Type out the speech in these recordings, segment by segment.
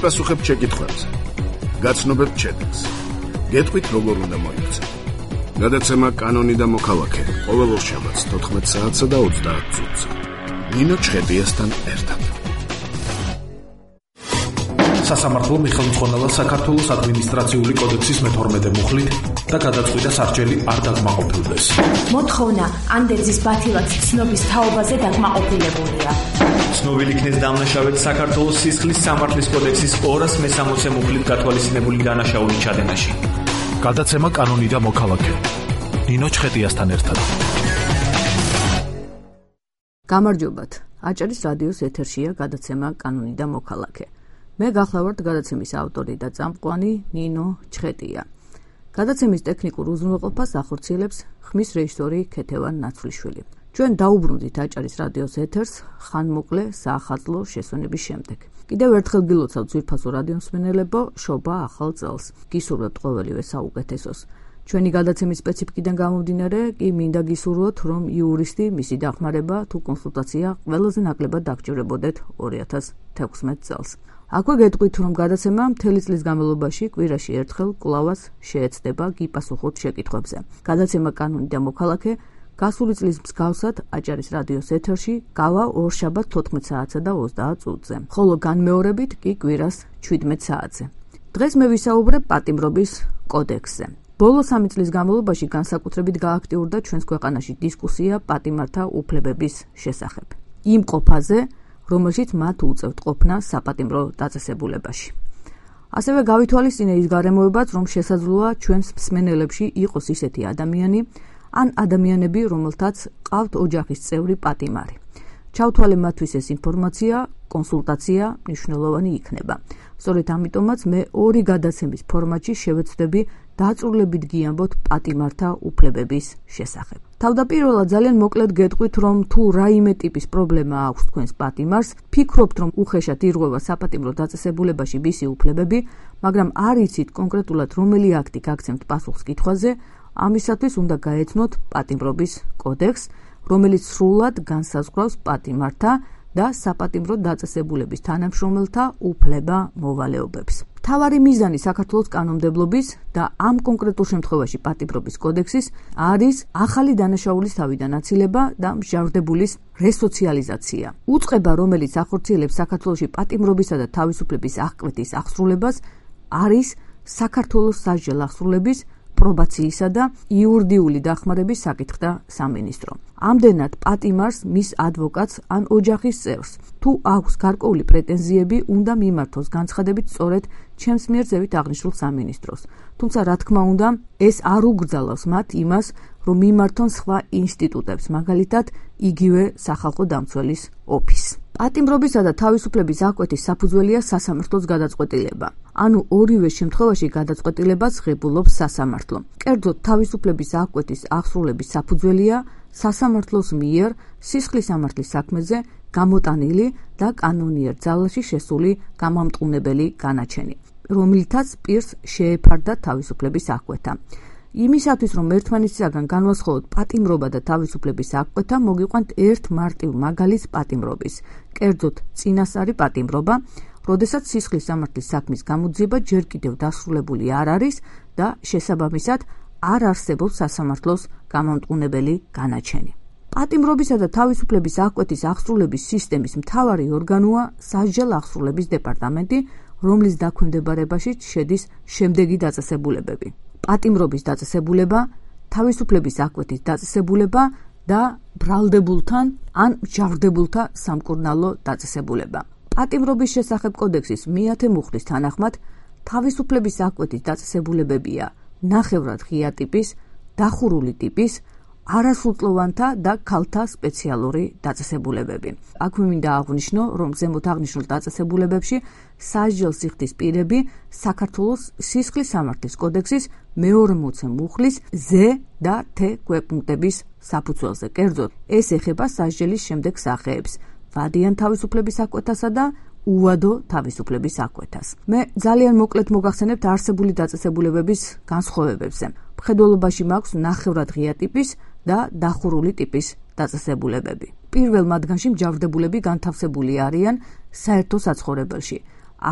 გიპასუხებთ შეკითხვებზე. გაცნობებთ შედეგს. გეტყვით როგორ უნდა მოიქცეთ. გადაცემა კანონი და მოქალაქე ყოველ ორშაბათს 14 საათსა და 30 წუთზე. ნინო ჩხეტიასთან ერთად. სასამართლომ მიხელმძღვანელა საქართველოს ადმინისტრაციული კოდექსის მე-12 მუხლით და გადაწყვიტა სარჩელი არ დაკმაყოფილდეს. მოთხოვნა ანდერძის ბათილად ცნობის თაობაზე დაკმაყოფილებულია. ცნობილი იქნეს დამნაშავედ საქართველოს სისხლის სამართლის კოდექსის 260 მუხლით გათვალისწინებული დანაშაული ჩადენაში. გადაცემა კანონი და მოქალაქე. ნინო ჩხეტიასთან ერთად. გამარჯობათ. აჭარის რადიოს ეთერშია გადაცემა კანონი და მოქალაქე. მე გახლავართ გადაცემის ავტორი და წამყვანი ნინო ჩხეტია. გადაცემის ტექნიკურ უზრუნველყოფას ახორციელებს ხმის რეჟისორი ქეთევან ნაცვლიშვილი. ჩვენ დაუბრუნდით აჭარის რადიოს ეთერს ხანმოკლე საახალწლო შესვენების შემდეგ. კიდევ ერთხელ გილოცავთ ძვირფასო რადიომსმენელებო, შობა ახალ წელს. გისურვებთ ყოველივე საუკეთესოს. ჩვენი გადაცემის სპეციფიკიდან გამომდინარე, კი მინდა გისურვოთ, რომ იურისტი, მისი დახმარება თუ კონსულტაცია ყველაზე ნაკლებად დაგჭირებოდეთ 2016 წელს. აქვე გეტყვით, რომ გადაცემა მთელი წლის განმავლობაში კვირაში ერთხელ კვლავაც შეეცდება გიპასუხოთ შეკითხვებზე. გადაცემა კანონი და მოქალაქე გასული წლის მსგავსად აჭარის რადიოს ეთერში გავა ორშაბათ 14 საათსა და 30 წუთზე, ხოლო განმეორებით კი კვირას 17 საათზე. დღეს მე ვისაუბრებ პატიმრობის კოდექსზე. ბოლო 3 წლის განმავლობაში განსაკუთრებით გააქტიურდა ჩვენს ქვეყანაში დისკუსია პატიმართა უფლებების შესახებ. იმ ყოფაზე, რომელშიც მათ უწევთ ყოფნა საპატიმრო დაწესებულებაში. ასევე გავითვალისწინე ის გარემოებაც, რომ შესაძლოა ჩვენს მსმენელებში იყოს ისეთი ადამიანი, ან ადამიანები, რომელთაც ყავთ ოჯახის წევრი პატიმარი. ჩავთვალე მათთვის ეს ინფორმაცია, კონსულტაცია მნიშვნელოვანი იქნება. სწორედ ამიტომაც მე ორი გადაცემის ფორმატში შევეცდები დაწვრილებით გიამბოთ პატიმართა უფლებების შესახებ. თავდაპირველად ძალიან მოკლედ გეტყვით, რომ თუ რაიმე ტიპის პრობლემა აქვს თქვენს პატიმარს, ფიქრობთ, რომ უხეშად ირღვევა საპატიმრო დაწესებულებაში მისი უფლებები, მაგრამ არ იცით კონკრეტულად რომელი აქტი გაგცემთ პასუხს კითხვაზე, ამისათვის უნდა გაეცნოთ პატიმრობის კოდექსს, რომელიც სრულად განსაზღვრავს პატიმართა და საპატიმრო დაწესებულების თანამშრომელთა უფლება-მოვალეობებს. მთავარი მიზანი საქართველოს კანონმდებლობის და ამ კონკრეტულ შემთხვევაში პატიმრობის კოდექსის არის ახალი დანაშაულის თავიდან აცილება და მსჯავრდებულის რესოციალიზაცია. უწყება, რომელიც ახორციელებს საქართველოში პატიმრობისა და თავისუფლების აღკვეთის აღსრულებას, არის საქართველოს სასჯელ აღსრულების პრობაციისა და იურიდიული დახმარების საკითხთა სამინისტრო. ამდენად პატიმარს, მის ადვოკატს ან ოჯახის წევრს, თუ აქვს გარკვეული პრეტენზიები, უნდა მიმართოს განცხადებით სწორედ ჩემს მიერ ზევით აღნიშნულ სამინისტროს. თუმცა, რა თქმა უნდა, ეს არ უგრძალავს მათ იმას, რომ მიმართონ სხვა ინსტიტუტებს, მაგალითად, იგივე სახალხო დამცველის ოფისს. პატიმრობისა და თავისუფლების აღკვეთის საფუძველია სასამართლოს გადაწყვეტილება. ანუ ორივე შემთხვევაში გადაწყვეტილებას ღებულობს სასამართლო. კერძოდ, თავისუფლების აღკვეთის აღსრულების საფუძველია სასამართლოს მიერ სისხლის სამართლის საქმეზე გამოტანილი და კანონიერ ძალაში შესული გამამტყუნებელი განაჩენი, რომლითაც პირს შეეფარდა თავისუფლების აღკვეთა. იმისათვის, რომ ერთმანეთისაგან განვასხვაოთ პატიმრობა და თავისუფლების აღკვეთა, მოგიყვანთ ერთ მარტივ მაგალითს პატიმრობის. კერძოდ, წინასწარი პატიმრობა, როდესაც სისხლის სამართლის საქმის გამოძიება ჯერ კიდევ დასრულებული არ არის და შესაბამისად არ არსებობს სასამართლოს გამამტყუნებელი განაჩენი. პატიმრობისა და თავისუფლების აღკვეთის აღსრულების სისტემის მთავარი ორგანოა სასჯელ აღსრულების დეპარტამენტი, რომლის დაქვემდებარებაშიც შედის შემდეგი დაწესებულებები: პატიმრობის დაწესებულება, თავისუფლების აღკვეთის დაწესებულება და ბრალდებულთან ან მსჯავრდებულთა სამკურნალო დაწესებულება. პატიმრობის შესახებ კოდექსის მე-10 მუხლის თანახმად, თავისუფლების აღკვეთის დაწესებულებებია ნახევრად ღია ტიპის, დახურული ტიპის, არასრულწლოვანთა და ქალთა სპეციალური დაწესებულებები. აქვე მინდა აღვნიშნო, რომ ზემოთ აღნიშნულ დაწესებულებებში სასჯელს იხდის პირები საქართველოს სისხლის სამართლის კოდექსის მე-40 მუხლის ზ და თ გვეპუნქტების საფუძველზე. კერძოდ, ეს ეხება სასჯელის შემდეგ სახეებს: ვადიან თავისუფლების აღკვეთასა და უვადო თავისუფლების აღკვეთას. მე ძალიან მოკლედ მოგახსენებთ არსებული დაწესებულებების განსხვავებებზე. მხედველობაში მაქვს ნახევრად ღია ტიპის და დახურული ტიპის დაწესებულებები. პირველ მათგანში მსჯავრდებულები განთავსებული არიან საერთო საცხოვრებელში.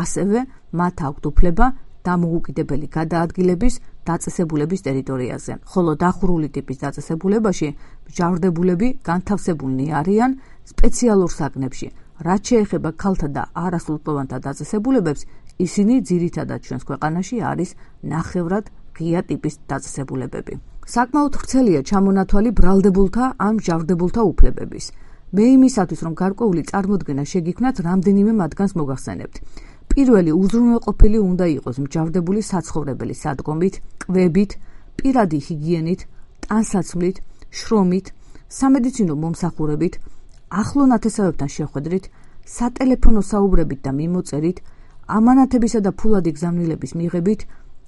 ასევე მათ აქვთ უფლება დამოუკიდებელი გადაადგილების დაწესებულების ტერიტორიაზე, ხოლო დახურული ტიპის დაწესებულებაში მჟავრდებულები განთავსებულნი არიან სპეციალურ საგნებში. რაც შეეხება ქალთა და არასრულწლოვანთა დაწესებულებებს, ისინი ძირითადად ჩვენს ქვეყანაში არის ნახევრად ღია ტიპის დაწესებულებები. საკმაოდ ვრცელია ჩამონათვალი ბრალდებულთა ან მჟავრდებულთა უფლებების. მე იმისათვის, რომ გარკვეული წარმოდგენა შეგიქმნათ, რამდენიმე მათგანს მოგახსენებთ. პირველი უზრუნველყოფილი უნდა იყოს მჟავრდებული საცხოვრებელი სადგომით, კვებით, პირადი ჰიგიენით, ტანსაცმლით, შრომით, სამედიცინო მომსახურებით, ახლო ნათესავებთან შეხვედრით, სატელეფონო საუბრებით და მიმოწერით, ამანათებისა და ფულადი გზავნილების მიღებით.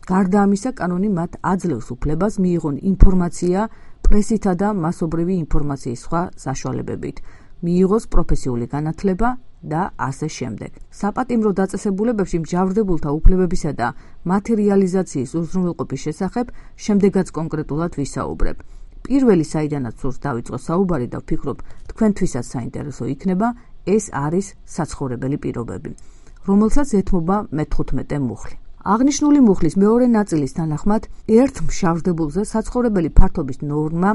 გარდა ამისა, კანონი მათ აძლევს უფლებას მიიღონ ინფორმაცია პრესითა და მასობრივი ინფორმაციის სხვა საშუალებებით, მიიღოს პროფესიული განათლება და ასე შემდეგ. საპატიმრო დაწესებულებებში მჟავრდებულთა უფლებებისა და მათი რეალიზაციის უზრუნველყოფის შესახებ შემდეგაც კონკრეტულად ვისაუბრებ. პირველი, საიდანაც სურს დავიწყო საუბარი და ვფიქრობ, თქვენთვისაც საინტერესო იქნება, ეს არის საცხოვრებელი პირობები, რომელსაც ეთმობა მე-15 მუხლი. აღნიშნული მუხლის მეორე ნაწილის თანახმად, ერთ მჟავრდებულზე საცხოვრებელი ფართობის ნორმა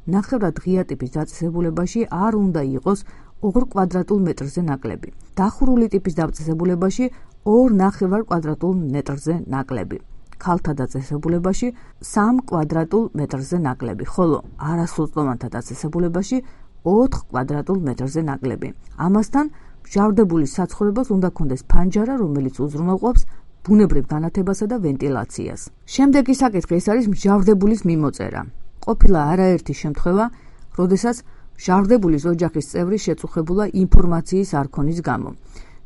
ნახევრად ღია ტიპის დაწესებულებაში არ უნდა იყოს 2 კვადრატულ მეტრზე ნაკლები. დახურული ტიპის დაწესებულებაში 2 ნახევარ კვადრატულ მეტრზე ნაკლები. ქალთა დაწესებულებაში 3 კვადრატულ მეტრზე ნაკლები, ხოლო არასრულწლოვანთა დაწესებულებაში 4 კვადრატულ მეტრზე ნაკლები. ამასთან, მჟავრდებულის საცხოვრებას უნდა ჰქონდეს ფანჯარა, რომელიც უზრუნველყოფს ბუნებრივ განათებასა და ვენტილაციას. შემდეგი საკითხი ეს არის მჟავრდებულის მიმოწერა. ყოფილა არაერთი შემთხვევა, როდესაც მჟავრდებულის ოჯახის წევრი შეწუხებულა ინფორმაციის არ ქონის გამო.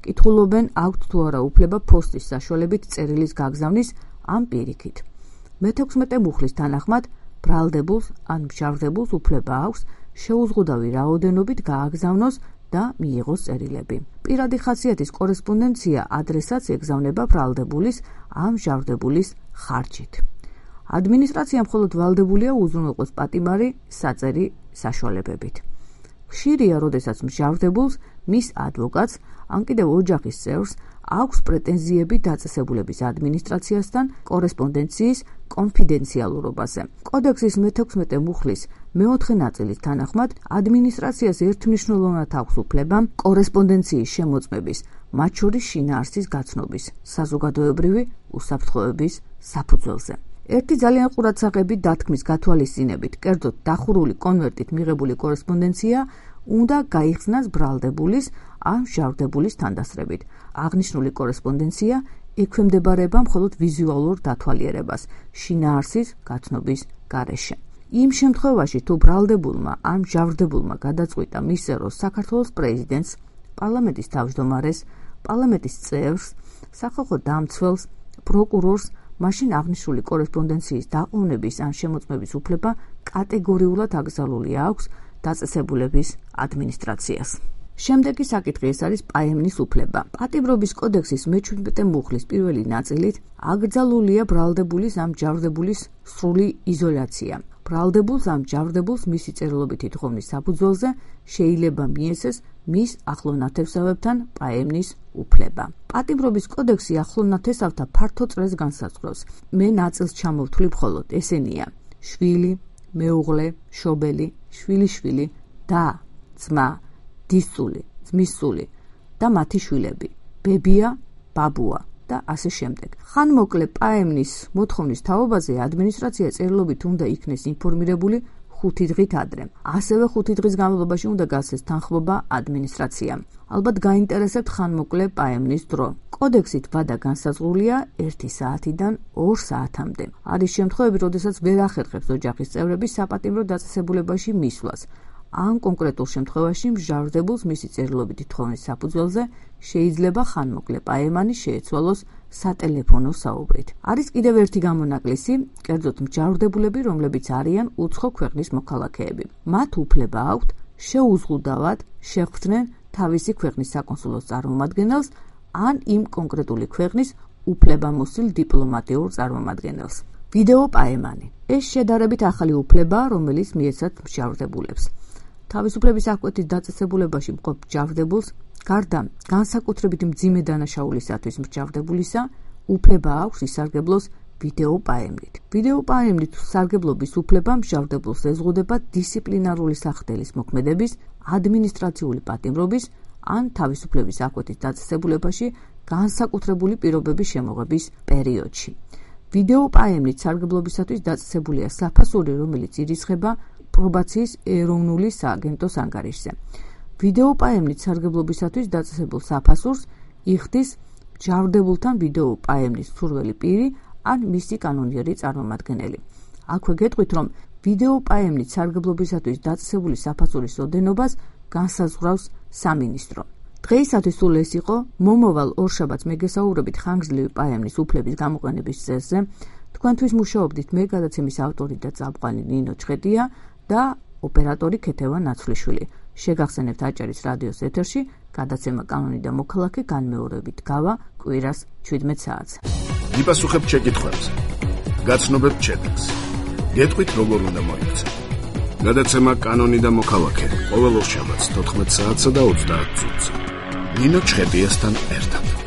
კითხულობენ, აქვთ თუ არა უფლება პოსტის საშუალებით წერილის გაგზავნის ან პირიქით. მე-16 მუხლის თანახმად, ბრალდებულს ან მჟავრდებულს უფლება აქვს შეუზღუდავი რაოდენობით გააგზავნოს და მიიღოს წერილები. პირადი ხასიათის კორესპონდენცია ადრესატს ეგზავნება ბრალდებულის ან მჟავრდებულის ხარჯით. ადმინისტრაცია მხოლოდ ვალდებულია უზრუნველყოს პატიმარი საწერი საშუალებებით. ხშირია, როდესაც მჟავრდებულს, მის ადვოკატს, ან კიდევ ოჯახის წევრს აქვს პრეტენზიები დაწესებულების ადმინისტრაციასთან კორესპონდენციის კონფიდენციალურობაზე. კოდექსის მე-16 მუხლის მე-4 ნაწილის თანახმად, ადმინისტრაციას ერთმნიშვნელოვნად აქვს უფლება კორესპონდენციის შემოწმების, მათ შორის შინაარსის გაცნობის, საზოგადოებრივი უსაფრთხოების საფუძველზე. ერთი ძალიან ყურადსაღები დათქმის გათვალისწინებით, კერძოდ დახურული კონვერტით მიღებული კორესპონდენცია უნდა გაიხსნას ბრალდებულის ან მჟავრდებულის თანდასწრებით. აღნიშნული კორესპონდენცია ექვემდებარება მხოლოდ ვიზუალურ დათვალიერებას შინაარსის გაცნობის გარეშე. იმ შემთხვევაში, თუ ბრალდებულმა ან მჟავრდებულმა გადაწყვიტა მისცეროს საქართველოს პრეზიდენტს, პარლამენტის თავმჯდომარეს, პარლამენტის წევრს, სახალხო დამცველს, პროკურორს, მაშინ აღნიშნული კორესპონდენციის დაყოვნების ან შემოწმების უფლება კატეგორიულად აკრძალული აქვს დაწესებულების ადმინისტრაციას. შემდეგი საკითხი ეს არის პაემნის უფლება. პატიმრობის კოდექსის მე-17 მუხლის პირველი ნაწილით აკრძალულია ბრალდებულის ან მჟავრდებულის სრული იზოლაცია. ბრალდებულს ან მჟავრდებულს მისი წერილობითი თხოვნის საფუძველზე შეიძლება მიეცეს მის ახლო ნათესავებთან პაემნის უფლება. პატიმრობის კოდექსი ახლო ნათესავთა ფართო წრეს განსაზღვრავს. მე ნაწილს ჩამოვთვლი მხოლოდ, ესენია: შვილი, მეუღლე, შობელი, შვილიშვილი, და, ძმა, დისწული, ძმისწული და მათი შვილები, ბებია, ბაბუა და ასე შემდეგ. ხანმოკლე პაემნის მოთხოვნის თაობაზე ადმინისტრაცია წერილობით უნდა იქნეს ინფორმირებული 5 დღით ადრე. ასევე 5 დღის განმავლობაში უნდა გასცეს თანხმობა ადმინისტრაციამ. ალბათ გაინტერესებთ ხანმოკლე პაემნის დრო. კოდექსით ვადა განსაზღვრულია 1 საათიდან 2 საათამდე. არის შემთხვევები, როდესაც ვერ ახერხებს ოჯახის წევრები საპატიმრო დაწესებულებაში მისვლას. ან კონკრეტულ შემთხვევაში მჟავრდებულს მისი წერილობითი თხოვნის საფუძველზე შეიძლება ხანმოკლე პაემანი შეეცვალოს სატელეფონო საუბრით. არის კიდევ ერთი გამონაკლისი, კერძოდ მჟავრდებულები, რომლებიც არიან უცხო ქვეყნის მოქალაქეები. მათ უფლება აქვთ შეუზღუდავად შეხვდნენ თავისი ქვეყნის საკონსულოს წარმომადგენელს ან იმ კონკრეტული ქვეყნის უფლებამოსილ დიპლომატიურ წარმომადგენელს. ვიდეო პაემანი. ეს შედარებით ახალი უფლებაა, რომელიც მიეცათ მჟავრდებულებს. თავისუფლების აღკვეთის დაწესებულებაში მყოფ მჯავრდებულს გარდა განსაკუთრებით მძიმე დანაშაულისათვის მსჯავრდებულისა უფლება აქვს ისარგებლოს ვიდეო პაემნით. ვიდეო პაემნით სარგებლობის უფლება მსჯავრდებულს ეზღუდება დისციპლინარული სახდელის მოქმედების, ადმინისტრაციული პატიმრობის ან თავისუფლების აღკვეთის დაწესებულებაში განსაკუთრებული პირობების შემოღების პერიოდში. ვიდეო პაემნით სარგებლობისათვის დაწესებულია საფასური, რომელიც ირიცხება პრობაციის ეროვნული სააგენტოს ანგარიშზე. ვიდეო პაემნით სარგებლობისათვის დაწესებულ საფასურს იხდის მჯავრდებულთან ვიდეო პაემნის მსურველი პირი ან მისი კანონიერი წარმომადგენელი. აქვე გეტყვით, რომ ვიდეო პაემნით სარგებლობისათვის დაწესებული საფასურის ოდენობას განსაზღვრავს სამინისტრო. დღეისათვის სულ ეს იყო. მომავალ ორშაბათს მე გესაუბრებით ხანგრძლივი პაემნის უფლების გამოყენების წესზე. თქვენთვის მუშაობდით მე გადაცემის ავტორი და წამყვანი ნინო ჩხეტია და ოპერატორი ქეთევა ნაცვლიშვილი. შეგახსენებთ აჭარის რადიოს ეთერში გადაცემა კანონი და მოქალაქე განმეორებით გავა კვირას 17 საათზე. იპასუხებთ შეკითხვებზე. გაცნობებთ შედეგს. გეტყვით როგორ უნდა მოიქცეთ. გადაცემა კანონი და მოქალაქე ყოველ ორშაბათს 14 საათსა და 30 წუთზე. ნინო ჩხეტიასთან ერთად.